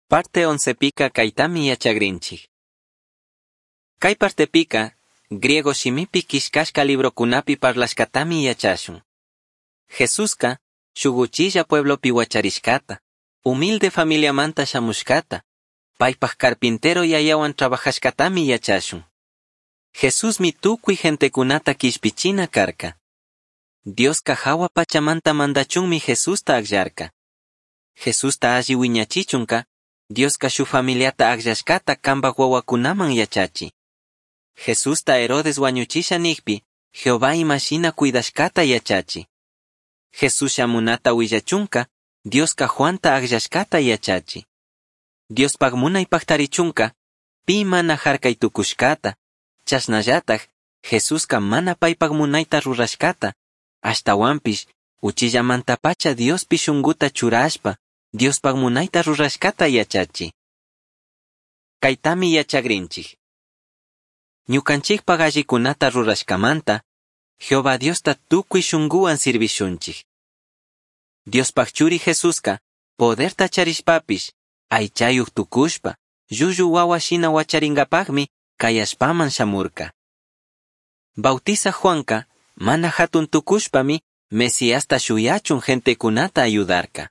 Parte 11pica caitami yachagrinchij. Cai partepica, griego shimipi quillcashca librocunapi parlashcatami yachashun. Jesusca, shuj uchilla pueblopi huacharishcata, humilde familiamanta shamushcata, paipaj carpintero yayahuan trabajashcatami yachashun. Jesusmi tucui gentecunata quishpichina carca. Diosca jahua pachamanta mandachunmi Jesusta agllarca. Jesusta alli huiñachichunca, Diosca shuj familiata agllashcata cambaj huahuacunaman yachachi. Jesusta Herodes huañuchisha nijpi, Jehová imashina cuidashcata yachachi. Jesús shamunata huillachunca, Diosca Juanta agllashcata yachachi. Diospaj munai pajtarichunca, pi mana jarcai tucushcata, chashnallataj Jesusca mana paipaj munaita rurashcata, ashtahuanpish uchillamantapacha Diospi shunguta churashpa, Diospaj munaita rurashcata yachachi. Caitami yachagrinchij. Ñucanchijpaj allicunata rurashcamanta, Jehová Diosta tucui shunguhuan sirvishunchij. Diospaj churi Jesusca, poderta charishpapish, aichayuj tucushpa, llullu huahua shina huacharingapajmi cai allpaman shamurca. Bautizaj Juanca, mana jatun tucushpami, Mesiasta shuyachun gentecunata ayudarca.